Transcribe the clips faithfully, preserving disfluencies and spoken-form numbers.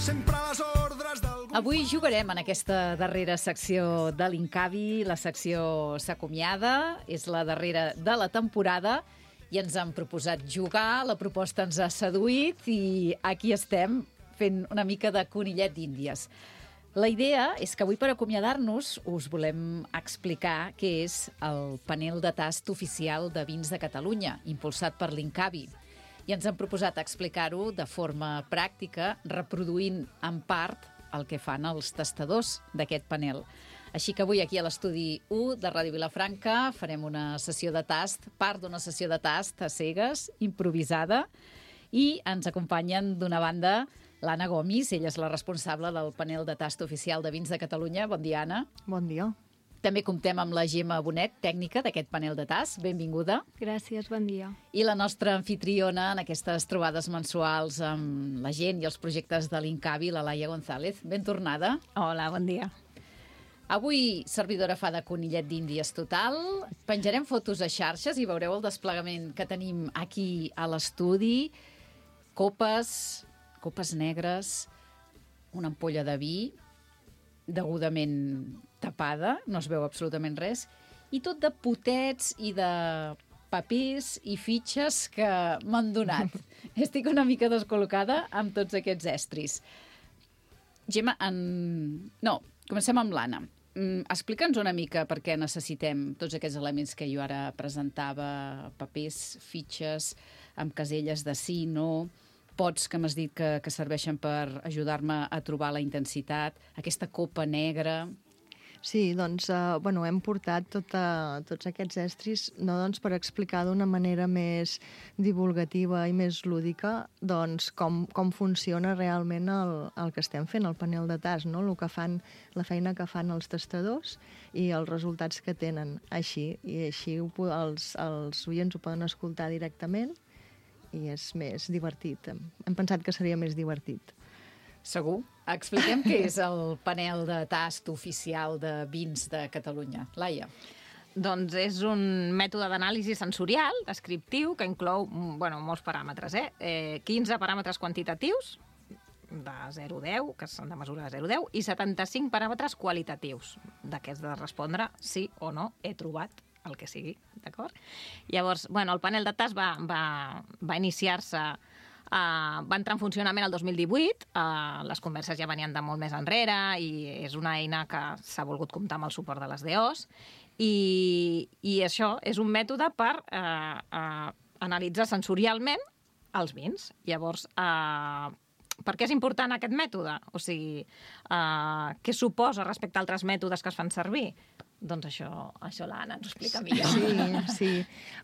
sempre a les ordres del... Avui jugarem en aquesta darrera secció de l'Incavi. La secció s'acomiada, és la darrera de la temporada i ens han proposat jugar, la proposta ens ha seduït i aquí estem fent una mica de conillet d'Índies. La idea és que avui, per acomiadar-nos, us volem explicar què és el panel de tast oficial de vins de Catalunya, impulsat per l'Incavi. I ens han proposat explicar-ho de forma pràctica, reproduint en part el que fan els tastadors d'aquest panel. Així que avui aquí a l'estudi u de Ràdio Vilafranca farem una sessió de tast, part d'una sessió de tast a cegues, improvisada, i ens acompanyen d'una banda l'Anna Gomis, ella és la responsable del panel de tast oficial de vins de Catalunya. Bon dia, Anna. Bon dia. També comptem amb la Gemma Bonet, tècnica d'aquest panel de tast. Benvinguda. Gràcies, bon dia. I la nostra anfitriona en aquestes trobades mensuals amb la gent i els projectes de l'Incavi, la Laia González. Ben tornada. Hola, bon dia. Avui, servidora fa de conillet d'Índies total. Penjarem fotos a xarxes i veureu el desplegament que tenim aquí a l'estudi. Copes, copes negres, una ampolla de vi, degudament tapada, no es veu absolutament res, i tot de potets i de papers i fitxes que m'han donat. Estic una mica descol·locada amb tots aquests estris. Gemma, en... no, comencem amb l'Anna. Mm, Explica'ns una mica per què necessitem tots aquests elements que jo ara presentava, papers, fitxes, amb caselles de sí, no, pots que m'has dit que, que serveixen per ajudar-me a trobar la intensitat, aquesta copa negra... Sí, doncs, eh, bueno, hem portat tota, tots aquests estris no doncs, per explicar d'una manera més divulgativa i més lúdica doncs, com, com funciona realment el, el que estem fent, el panel de tast, no? El que fan, la feina que fan els tastadors i els resultats que tenen així. I així ho, els, els oients ho poden escoltar directament i és més divertit. Hem, hem pensat que seria més divertit. Segur. Expliquem què és el panel de tast oficial de vins de Catalunya. Laia. Doncs és un mètode d'anàlisi sensorial, descriptiu, que inclou bueno, molts paràmetres. Eh? Eh, quinze paràmetres quantitatius, de zero a deu, que són de mesura de zero a deu, i setanta-cinc paràmetres qualitatius, d'aquests de respondre sí o no he trobat el que sigui, d'acord? Llavors, bueno, el panel de tast va, va, va iniciar-se Uh, va entrar en funcionament el dos mil divuit, uh, les converses ja venien de molt més enrere i és una eina que s'ha volgut comptar amb el suport de les D Os i, i això és un mètode per uh, uh, analitzar sensorialment els vins. Llavors, uh, per què és important aquest mètode? O sigui, uh, què suposa respecte a altres mètodes que es fan servir? Doncs això, això l'Anna ens ho explica millor. Sí, sí.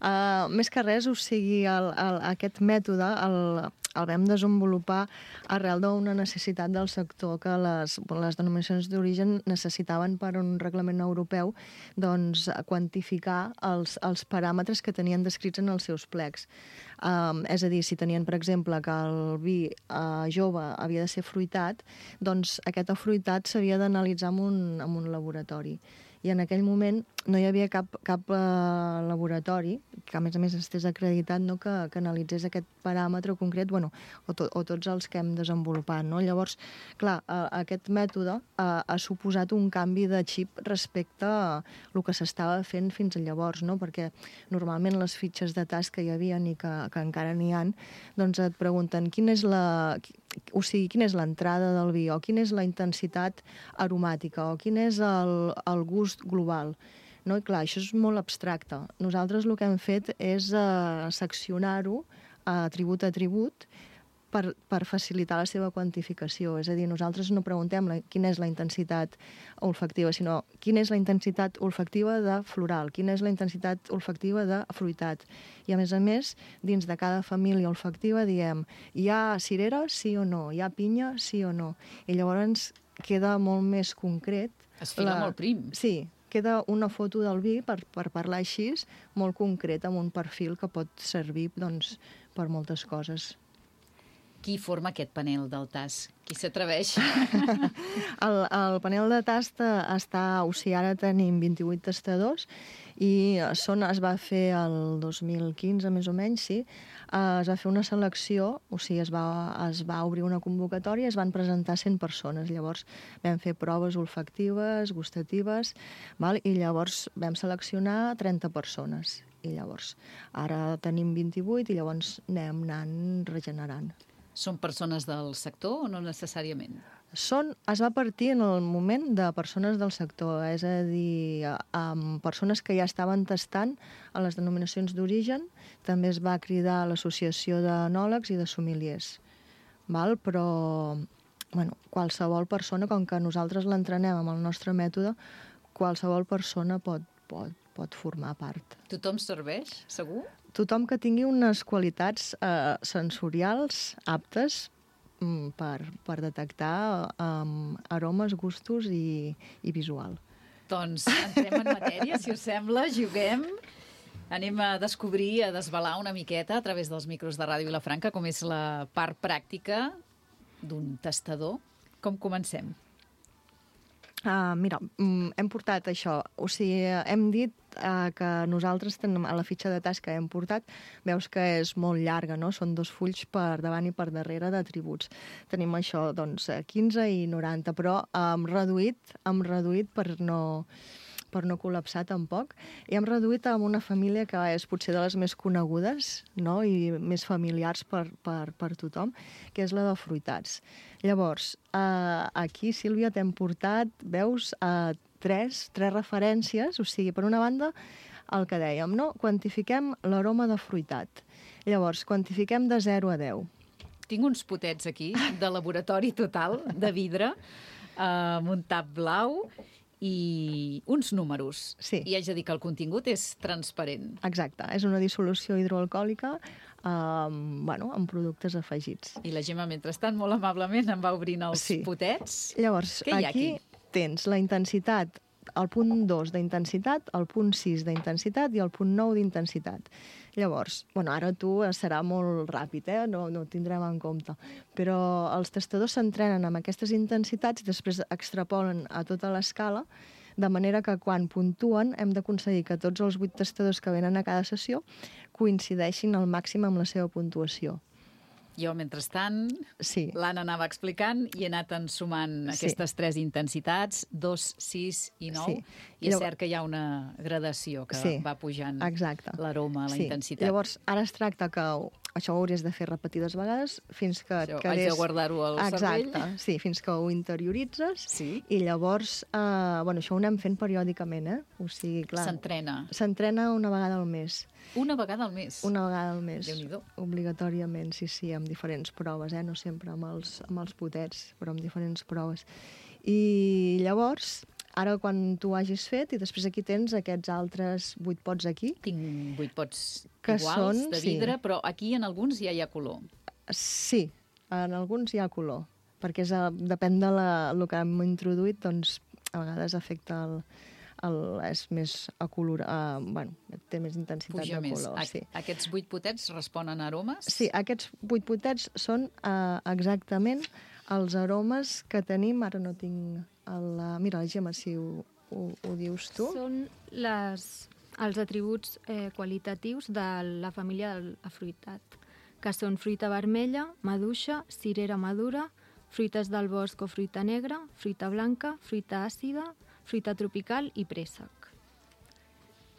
Uh, més que res, o sigui, el, el, aquest mètode el, el vam desenvolupar arrel d'una necessitat del sector que les, les denominacions d'origen necessitaven per un reglament europeu doncs, quantificar els, els paràmetres que tenien descrits en els seus plecs. Um, és a dir, si tenien, per exemple, que el vi uh, jove havia de ser fruitat, doncs aquest afruitat s'havia d'analitzar en un, en un laboratori. I en aquell moment no hi havia cap, cap uh, laboratori que, a més a més, estés acreditat no, que, que analitzés aquest paràmetre concret, bueno, o, to, o tots els que hem desenvolupat. No? Llavors, clar, uh, aquest mètode uh, ha suposat un canvi de xip respecte a el que s'estava fent fins llavors, no? Perquè normalment les fitxes de tast que hi havia i que, que encara n'hi ha, doncs et pregunten quina és la... o sigui, quina és l'entrada del vi, o quina és la intensitat aromàtica, o quin és el, el gust global. No? I clar, això és molt abstracte. Nosaltres el que hem fet és uh, seccionar-ho a atribut a atribut per, per facilitar la seva quantificació. És a dir, nosaltres no preguntem la, quina és la intensitat olfactiva, sinó quina és la intensitat olfactiva de floral, quina és la intensitat olfactiva de fruitat. I a més a més, dins de cada família olfactiva diem hi ha cirera, sí o no, hi ha pinya, sí o no. I llavors queda molt més concret. Es fila la... molt prim. Sí, queda una foto del vi, per, per parlar així, molt concret, amb un perfil que pot servir doncs, per moltes coses. Qui forma aquest panel del tast? Qui s'atreveix? el, el panel de tast està, o sigui, ara tenim vint-i-vuit tastadors i són, es va fer el dos mil quinze, més o menys, sí, eh, es va fer una selecció, o sigui, es va, es va obrir una convocatòria i es van presentar cent persones. Llavors vam fer proves olfactives, gustatives, val? I llavors vam seleccionar trenta persones. I llavors ara tenim vint-i-vuit i llavors anem anant regenerant. Són persones del sector o no necessàriament? Són, es va partir en el moment de persones del sector, és a dir, amb persones que ja estaven tastant a les denominacions d'origen. També es va cridar a l'associació d'enòlegs i de sommeliers. Val? Però bueno, qualsevol persona, com que nosaltres l'entrenem amb el nostre mètode, qualsevol persona pot, pot, pot formar part. Tothom serveix, segur? Tothom que tingui unes qualitats eh, sensorials aptes mm, per, per detectar um, aromes, gustos i, i visual. Doncs entrem en matèria, si us sembla, juguem. Anem a descobrir, a desvelar una miqueta a través dels micros de Ràdio Vilafranca com és la part pràctica d'un tastador. Com comencem? Uh, mira, mm, hem portat això, o sigui, hem dit uh, que nosaltres tenim a la fitxa de tasca hem portat, veus que és molt llarga, no? Són dos fulls per davant i per darrere d'atributs. Tenim això, doncs, quinze i noranta, però hem reduït, hem reduït per no... per no col·lapsar tampoc, i hem reduït amb una família que és potser de les més conegudes, no? I més familiars per, per, per tothom, que és la de fruitats. Llavors, eh, aquí, Sílvia, t'hem portat, veus, eh, tres, tres referències, o sigui, per una banda, el que dèiem, no? Quantifiquem l'aroma de fruitat. Llavors, quantifiquem de zero a deu. Tinc uns potets aquí, de laboratori total, de vidre, eh, amb un tap blau, i uns números. Sí. I haig de dir que el contingut és transparent. Exacte, és una dissolució hidroalcohòlica um, bueno, amb productes afegits. I la Gemma, mentrestant, molt amablement em va obrint els Sí. potets. Llavors, Què hi ha aquí, aquí? tens la intensitat, el punt dos d'intensitat, el punt sis d'intensitat i el punt nou d'intensitat. Llavors, bueno, ara tu serà molt ràpid, eh? no, no ho tindrem en compte, però els tastadors s'entrenen amb aquestes intensitats i després extrapolen a tota l'escala, de manera que quan puntuen hem d'aconseguir que tots els vuit tastadors que venen a cada sessió coincideixin al màxim amb la seva puntuació. Jo, mentrestant, Sí. l'Anna anava explicant i he anat ensumant Sí. aquestes tres intensitats, dos, sis i nou, Sí. i és Llavors- cert que hi ha una gradació que Sí, va pujant Exacte. l'aroma, la Sí. intensitat. Llavors, ara es tracta que això ho hauries de fer repetides vegades fins que et Això, quedés... haig de guardar-ho al cervell. Exacte, sí, fins que ho interioritzes. Sí. I llavors, eh, bueno, això ho anem fent periòdicament, eh? O sigui, clar... S'entrena S'entrena una vegada al mes. una vegada al mes. Una vegada al mes. Déu-n'hi-do. Obligatòriament, sí, sí, amb diferents proves, eh? No sempre amb els, amb els potets, però amb diferents proves. I llavors, ara quan tu hagis fet, i després aquí tens aquests altres vuit pots aquí, Tinc vuit pots Que iguals, són- de sí. vidre, però aquí en alguns ja hi ha color. sí, en alguns hi ha color, perquè és, a- depèn de la, el que hem introduït, doncs a vegades afecta el, el, és més acolorat, uh, bueno, té més intensitat Puja de més. color. A- Sí. Aquests vuit potets responen a aromes? Sí, aquests vuit potets són uh, exactament els aromes que tenim, ara no tinc el... Uh, mira, Gemma, si ho, ho, ho dius tu. Són les, els atributs eh, qualitatius de la família de la fruitat, que són fruita vermella, maduixa, cirera madura, fruites del bosc o fruita negra, fruita blanca, fruita àcida, fruita tropical i préssec.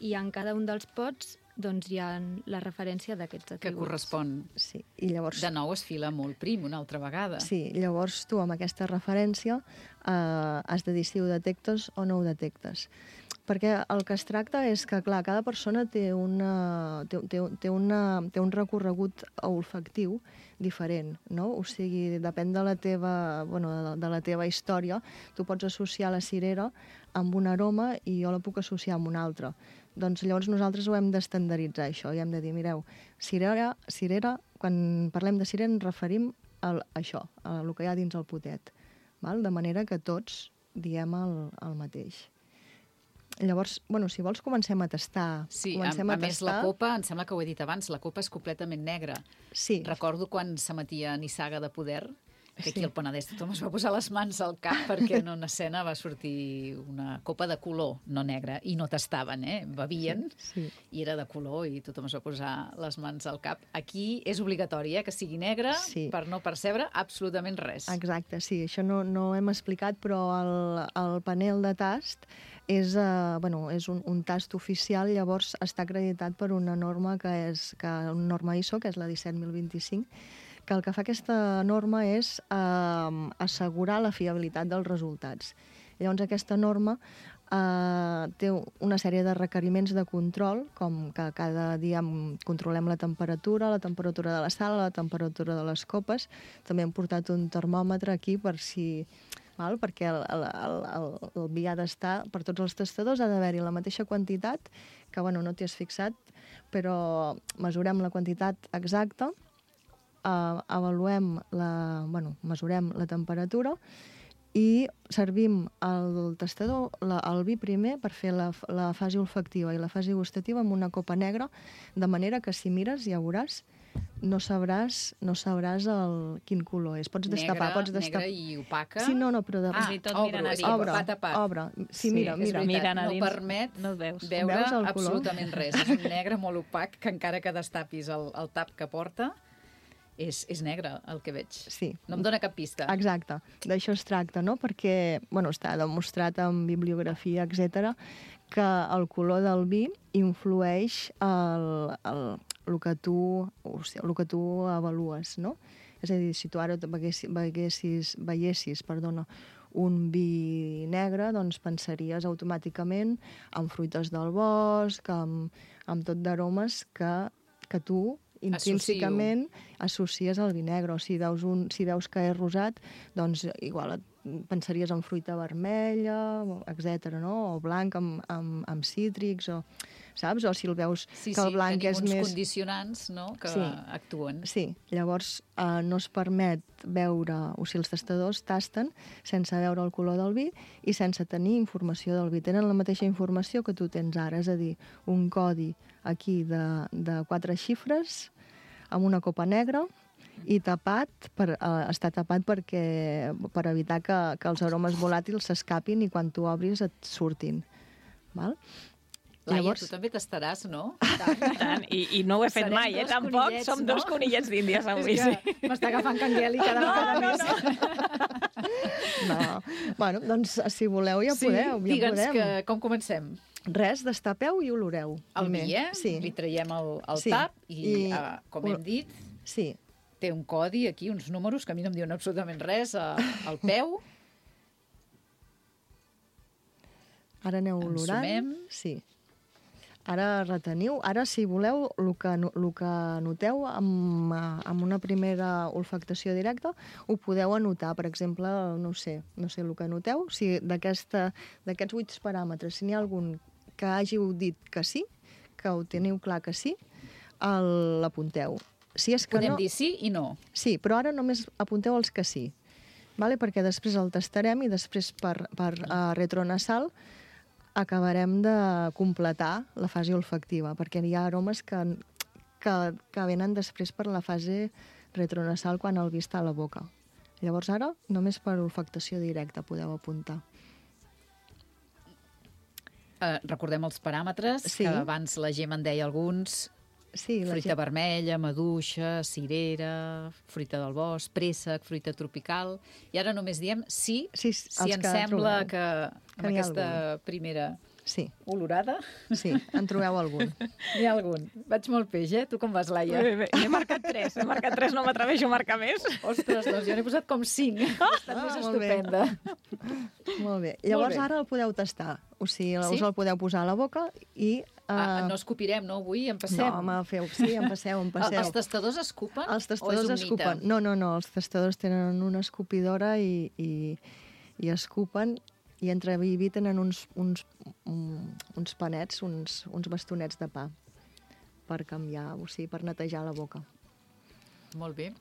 I en cada un dels pots doncs, hi ha la referència d'aquests Que atributs. correspon. Sí, i llavors... De nou es fila molt prim, una altra vegada. Sí, llavors tu amb aquesta referència eh, has de dir si ho detectes o no ho detectes. Perquè el que es tracta és que, clar, cada persona té, una, té, té, té, una, té un recorregut olfactiu diferent, no? O sigui, depèn de la teva, bueno, de, de la teva història, tu pots associar la cirera amb un aroma i jo la puc associar amb un altre. Doncs llavors nosaltres ho hem d'estandarditzar, això, i hem de dir, mireu, cirera, cirera, quan parlem de cirera ens referim a això, a el que hi ha dins el potet, val? De manera que tots diem el, el mateix. Llavors, bueno, si vols comencem a tastar. Sí, a, comencem a, a més tastar. la copa, em sembla que ho he dit abans, la copa és completament negra. Sí, Recordo quan s'emetia Nissaga de Poder que aquí al Penedès tothom es va posar les mans al cap perquè en una escena va sortir una copa de color, no negra, i no tastaven, eh? Bevien, Sí, sí. i era de color i tothom es va posar les mans al cap. Aquí és obligatori, eh, que sigui negre Sí. per no percebre absolutament res. Exacte, sí, això no, no ho hem explicat, però el, el panel de tast és, uh, bueno, és un, un tast oficial, llavors està acreditat per una norma que és que, una norma I S O, que és la disset mil vint-i-cinc, que el que fa aquesta norma és eh, assegurar la fiabilitat dels resultats. Llavors, aquesta norma eh, té una sèrie de requeriments de control, com que cada dia controlem la temperatura, la temperatura de la sala, la temperatura de les copes. També hem portat un termòmetre aquí per si... Val? Perquè el, el, el, el, el vi ha d'estar, per tots els tastadors, ha d'haver-hi la mateixa quantitat, que bueno, no t'hi has fixat, però mesurem la quantitat exacta, Uh, avaluem la, bueno, mesurem la temperatura i servim el tastador, la, el vi primer, per fer la, la fase olfactiva i la fase gustativa amb una copa negra, de manera que si mires ja veuràs, no sabràs, no sabràs el, quin color és. Pots destapar, Negre, pots destapar. negre i opaca. Sí, no, no, però... De... Ah, Fins i tot obro, mirant a és dins. que Obre, va tapat. obre. Sí, Sí, mira, és mira. veritat. Mirant a no dins, permet no el veus. veure Veus el color? absolutament res. És un negre molt opac que encara que destapis el, el tap que porta, és, és negre el que veig. Sí. No em dóna cap pista. Exacte, d'això es tracta, no? Perquè, bueno, està demostrat en bibliografia, etcètera, que el color del vi influeix el, el, el, que tu, o sigui, el que tu avalues, no? És a dir, si tu ara veiessis, veiessis, veiessis perdona, un vi negre, doncs pensaries automàticament en fruites del bosc, amb, amb tot d'aromes que, que tu intrínsecament associes al vi negre. O si veus, un, si veus que és rosat, doncs igual et pensaries en fruita vermella, etcètera, no? O blanc amb, amb, amb cítrics, o, saps? O si el veus Sí, que el sí, blanc tenim és uns més... condicionants, no?, que Sí. actuen. Sí, llavors eh, no es permet veure, o sigui, els tastadors tasten sense veure el color del vi i sense tenir informació del vi. Tenen la mateixa informació que tu tens ara, és a dir, un codi aquí de, de quatre xifres amb una copa negra i tapat, per, eh, està tapat perquè, per evitar que, que els aromes volàtils s'escapin i quan tu obris et surtin. Val? Laia, Llavors- tu també tastaràs, no? Tant, i, i no ho he fet Serem mai, eh? dos Tampoc conillets, som no? dos conillets d'Índies avui, És sí. que m'està agafant Cangueli cada vegada no, més. No. Bueno, doncs si voleu ja Sí, podeu. Ja digue'ns podem. que, com comencem? Res, destapeu i oloreu. El primer. vi, eh? Sí. Li traiem el, el Sí. tap i, I- eh, com hem dit, Sí. té un codi aquí, uns números que a mi no em diuen absolutament res, a, al peu. Ara aneu olorant. Ensumem. Sí. Ara reteniu. Ara, si voleu, el que, no- el que noteu amb, eh, amb una primera olfactació directa, ho podeu anotar. Per exemple, no ho sé, no sé el que noteu. Si d'aquesta- d'aquests vuit paràmetres, si n'hi ha algun que hàgiu dit que sí, que ho teniu clar que sí, el- l'apunteu. Si és que Podem no... dir sí i no. Sí, però ara només apunteu els que sí, vale? Perquè després el tastarem i després per, per uh, retronasal acabarem de completar la fase olfactiva, perquè hi ha aromes que, que, que venen després per la fase retronasal quan el vi està a la boca. Llavors ara només per olfactació directa podeu apuntar. Uh, recordem els paràmetres, Sí. que abans la Gemma en deia alguns. Sí, la Fruita gent... vermella, maduixa, cirera, fruita del bosc, préssec, fruita tropical. I ara només diem sí, Sí, si els ens que sembla trobeu. que amb Que n'hi ha aquesta primera Sí, olorada sí, en trobeu algun. n'hi ha algun. Vaig molt peix, eh? Tu com vas, Laia? Bé, bé, he marcat tres, he marcat tres, no m'atreveixo a marcar més. Ostres, doncs jo n'he posat com cinc. Ha estat Ah, més molt bé. estupenda. Molt bé. Llavors bé. ara el podeu tastar. O sigui, Sí? us el podeu posar a la boca i... Ah, eh, no escopirem, no, avui? Empassem. No, home, feu, sí, em passeu, em passeu. Els tastadors escupen Els o és tastadors un escupen. mite? No, no, no, els tastadors tenen una escopidora i, i, i escupen, i entre vi i vi tenen uns, uns, un- uns panets, uns, uns bastonets de pa per canviar, o sigui, per netejar la boca. Molt bé.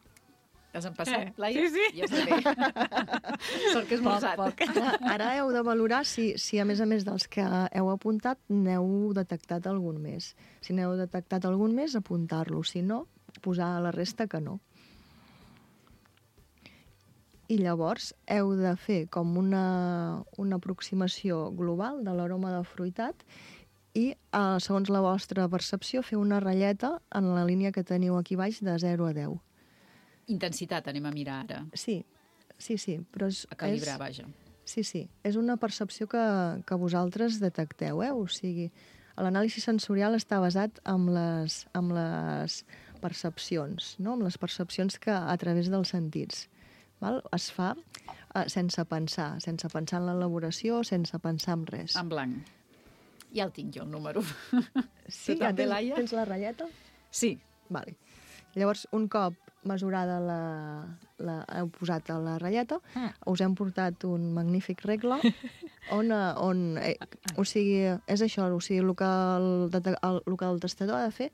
Has empassat, Eh, Laia? sí, sí. Ja està bé. Sort que és molt poc. Ara, ara heu de valorar si, si, a més a més dels que heu apuntat, n'heu detectat algun més. Si n'heu detectat algun més, apuntar-lo. Si no, posar a la resta que no. i llavors heu de fer com una, una aproximació global de l'aroma de fruitat i, eh, segons la vostra percepció, fer una ratlleta en la línia que teniu aquí baix de zero a deu. Intensitat anem a mirar ara. Sí, sí, sí. Però és, A calibrar, és, vaja. Sí, sí. És una percepció que, que vosaltres detecteu, eh? O sigui, l'anàlisi sensorial està basat en les, en les percepcions, no? En les percepcions que a través dels sentits. Val? Es fa eh, sense pensar, sense pensar en l'elaboració, sense pensar en res. En blanc. Ja el tinc jo, el número. Sí, Tu ja també, tens, Laia? tens la ratlleta? Sí. Vale. Llavors, un cop mesurada la, la, heu posat a la ratlleta, Mm. us hem portat un magnífic regle on, eh, on eh, o sigui, és això, o sigui, el que el, dete- el, el que el testador ha de fer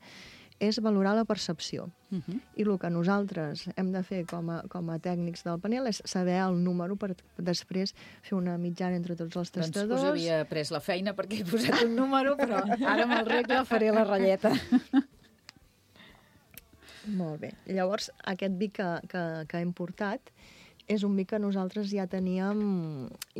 és valorar la percepció. Uh -huh. I el que nosaltres hem de fer com a, com a tècnics del panel és saber el número per després fer una mitjana entre tots els Doncs testadors. us havia pres la feina perquè he posat un número, però ara amb el regle faré la ratlleta. Molt bé. Llavors, aquest vi que, que, que hem portat és un vi que nosaltres ja teníem,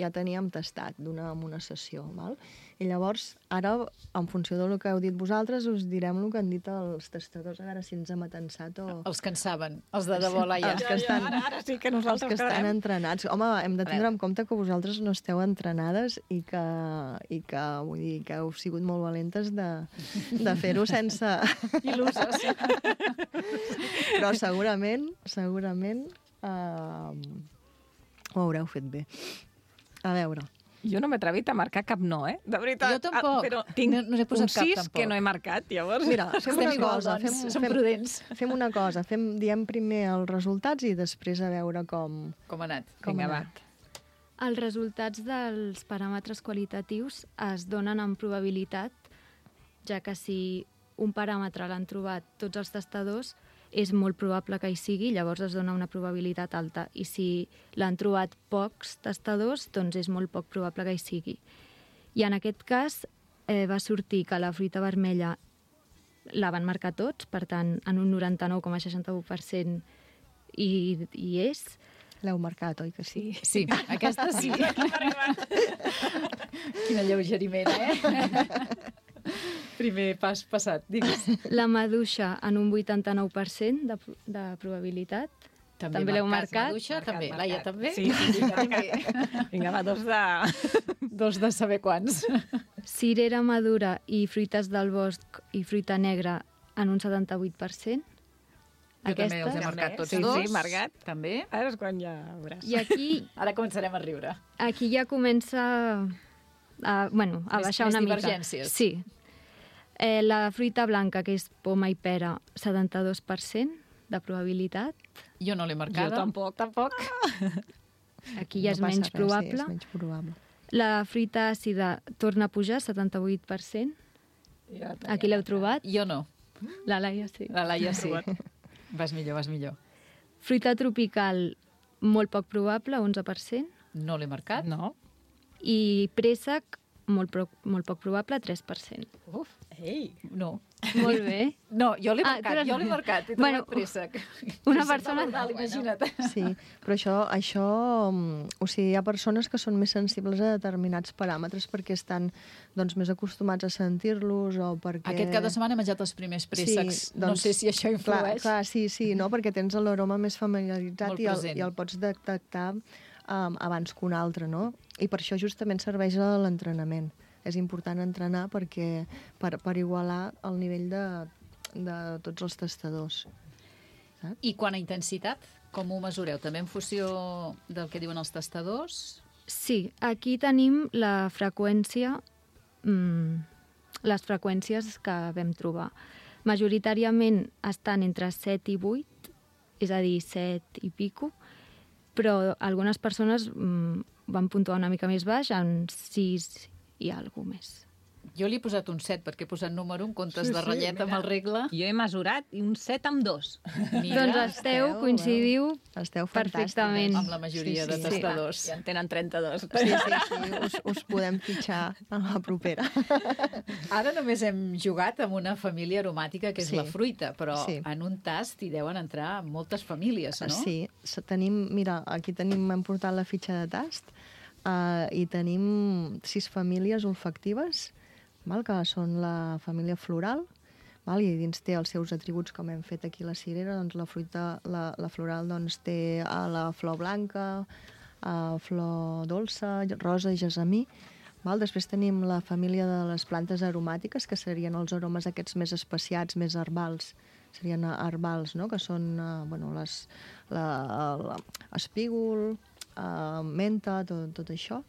ja teníem tastat d'una en una sessió. Val? I llavors, ara, en funció del que heu dit vosaltres, us direm el que han dit els tastadors, a veure si ens hem atensat o... Els que en saben, els de debò, Laia. Els que estan, Ara, ara sí que els nosaltres que estan quedarem. entrenats. Home, hem de A tindre veure. en compte que vosaltres no esteu entrenades i que, i que, vull dir, que heu sigut molt valentes de, de fer-ho sense... Il·luses. Però segurament, segurament, uh, ho haureu fet bé. A veure, Jo no m'he atrevit a marcar cap no, eh? De veritat. Jo tampoc. Ah, Però tinc No- no n'he posat un cap, sis tampoc. que no he marcat, llavors. mira, fem Estem una igual, cosa. doncs. Fem, Som fem, prudents. fem una cosa. Fem, diem primer els resultats i després a veure com... Com ha anat? com Vinga, ha va. anat. Els resultats dels paràmetres qualitatius es donen en probabilitat, ja que si un paràmetre l'han trobat tots els testadors, és molt probable que hi sigui, llavors es dona una probabilitat alta. I si l'han trobat pocs testadors, doncs és molt poc probable que hi sigui. I en aquest cas eh, va sortir que la fruita vermella la van marcar tots, per tant, en un noranta-nou coma seixanta-u per cent hi, hi és. L'heu marcat, oi que sí? Sí, aquesta sí. Quin alleugeriment, eh? Primer pas passat, digues. La maduixa en un vuitanta-nou per cent de, de probabilitat. També l'heu marcat? Maduixa, Marcat, també. marcat. Laia, també? Sí, sí, sí, també. Vinga, va, dos de... Dos de saber quants. Cirera madura i fruites del bosc i fruita negra en un setanta-vuit per cent. Jo també els he Aquesta. marcat tots Sí, dos. sí, marcat. També. Ara és quan ja veuràs. I aquí, Ara començarem a riure. aquí ja comença a, bueno, a Més- baixar més una mica. divergències. Sí. Eh, la fruita blanca, que és poma i pera, setanta-dos per cent de probabilitat. Jo no l'he Jo marcada. tampoc. Tampoc. Aquí ja és No passa menys res, probable. Sí, és menys probable. La fruita àcida torna a pujar, setanta-vuit per cent. Ja Aquí l'heu trobat? Jo no. La Laia sí. La Laia sí. Vas millor, vas millor. Fruita tropical, molt poc probable, onze per cent. No l'he marcat. No? I préssec, molt, pro, molt poc probable, tres per cent. Uf, Ei! no. Molt bé. No, jo l'he Ah, marcat, tu l'has- jo l'he marcat. He Bueno, trobat préssec. una Préssec persona- Dalt, imagina't. Sí, però això, això, mm, o sigui, hi ha persones que són més sensibles a determinats paràmetres perquè estan doncs, més acostumats a sentir-los o perquè... Aquest cap de setmana he menjat els primers préssecs. No sé si això influeix. Clar, clar, sí, sí, no? Perquè tens l'aroma més familiaritzat Molt i el, present. i el pots detectar um, abans que un altre, no? I per això justament serveix a l'entrenament. És important entrenar perquè per, per igualar el nivell de, de tots els tastadors. I quant a intensitat, com ho mesureu? També en funció del que diuen els tastadors? Sí, aquí tenim la freqüència, mm, les freqüències que vam trobar. Majoritàriament estan entre set i vuit, és a dir, set i pico, però algunes persones mm, van puntuar una mica més baix, en sis i alguna més. Jo li he posat un set, perquè he posat número en comptes Sí, de sí, ratllet amb el regle. Jo he mesurat i un set amb dos. Mira, Doncs esteu, coincidiu Esteu perfectament. fantàstiques. amb la majoria Sí, de sí. tastadors. Ja en tenen trenta-dos. Sí, sí, sí, us, us podem fitxar a la propera. Ara només hem jugat amb una família aromàtica, que és Sí. la fruita, però Sí. en un tast hi deuen entrar moltes famílies, no? Sí, s- tenim, mira, aquí tenim, hem portat la fitxa de tast uh, i tenim sis famílies olfactives, val, que són la família floral, val, i dins té els seus atributs, com hem fet aquí a la cirera, doncs la fruita, la, la floral doncs, té a la flor blanca, a flor dolça, rosa i gesamí. Val? Després tenim la família de les plantes aromàtiques, que serien els aromes aquests més especiats, més herbals, serien herbals, no? Que són uh, bueno, les, la, la, espígol, uh, menta, tot, tot això.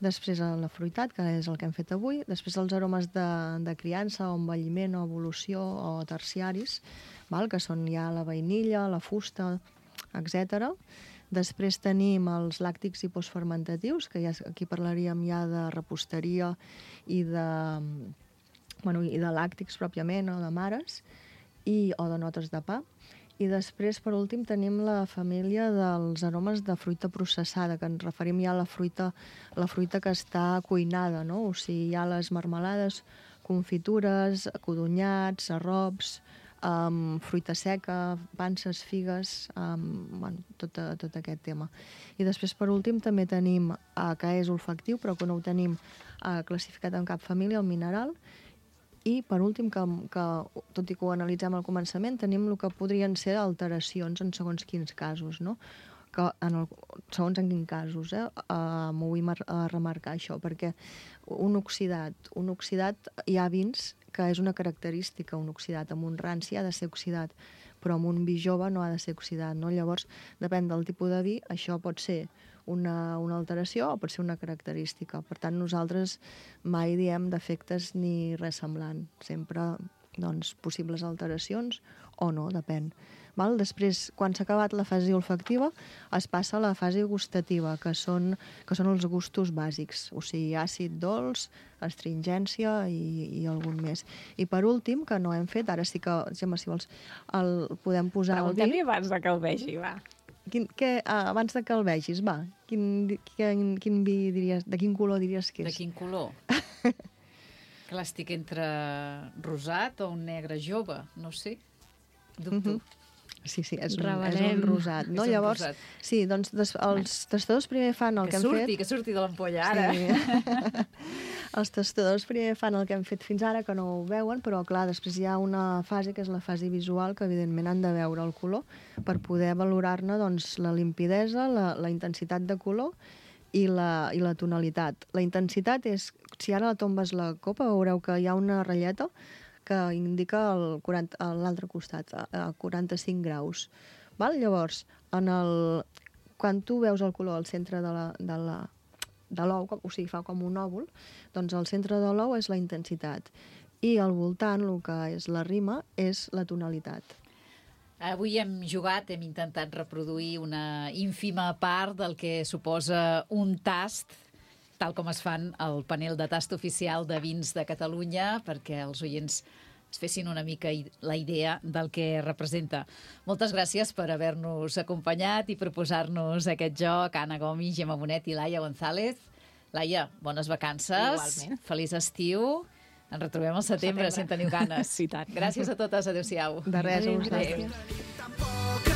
Després la fruitat, que és el que hem fet avui. Després els aromes de, de criança o envelliment o evolució o terciaris, val? Que són ja la vainilla, la fusta, etcètera. Després tenim els làctics i postfermentatius, que ja, aquí parlaríem ja de reposteria i de, bueno, i de làctics pròpiament, o de mares, i, o de notes de pa. I després, per últim, tenim la família dels aromes de fruita processada, que ens referim ja a la fruita, la fruita que està cuinada, no? O sigui, hi ha les marmelades, confitures, codonyats, arrops, um, fruita seca, panses, figues, um, bueno, tot, tot aquest tema. I després, per últim, també tenim, uh, que és olfactiu, però que no ho tenim uh, classificat en cap família, el mineral. I, per últim, que, que tot i que ho analitzem al començament, tenim el que podrien ser alteracions en segons quins casos, no? Que en el, segons en quins casos, eh? Uh, M'ho vull mar, uh, remarcar, això, perquè un oxidat, un oxidat, hi ha vins que és una característica, un oxidat. Amb un ranci ha de ser oxidat, però amb un vi jove no ha de ser oxidat, no? Llavors, depèn del tipus de vi, això pot ser una, una alteració o pot ser una característica. Per tant, nosaltres mai diem defectes ni res semblant. Sempre, doncs, possibles alteracions o no, depèn. Val? Després, quan s'ha acabat la fase olfactiva, es passa a la fase gustativa, que són, que són els gustos bàsics, o sigui, àcid, dolç, astringència i, i algun més. I per últim, que no hem fet, ara sí que, Gemma, si vols, el podem posar el vi. Preguntem-li abans de que el vegi, va. Quin, que, uh, abans de que el vegis, va, quin, quin, quin vi diries, de quin color diries que és? De quin color? Clar, estic entre rosat o un negre jove, no sé. Dubto. Mhm. Sí, sí, és un, és Revelem. un rosat, no? És un Llavors, rosat. sí, doncs des, els tastadors primer fan el Que que, surti, hem fet. que surti de l'ampolla ara. Sí. Els tastadors primer fan el que hem fet fins ara, que no ho veuen, però clar, després hi ha una fase, que és la fase visual, que evidentment han de veure el color per poder valorar-ne doncs, la limpidesa, la, la intensitat de color i la, i la tonalitat. La intensitat és, si ara la tombes la copa, veureu que hi ha una ratlleta que indica el quaranta, a l'altre costat, a, a quaranta-cinc graus. Val? Llavors, en el, quan tu veus el color al centre de la, de la, de l'ou, o sigui, fa com un òvul, doncs el centre de l'ou és la intensitat. I al voltant, el que és la rima, és la tonalitat. Avui hem jugat, hem intentat reproduir una ínfima part del que suposa un tast, tal com es fan al panel de tast oficial de vins de Catalunya, perquè els oients es fessin una mica la idea del que representa. Moltes gràcies per haver-nos acompanyat i proposar-nos aquest joc. Anna Gomis, Gemma Bonet i Laia González. Laia, bones vacances. Igualment. Feliç estiu. Ens retrobem al setembre, setembre. si en teniu ganes. Sí, tant. Gràcies a totes. Adéu-siau. De res, a Adéu. vosaltres. Tampoc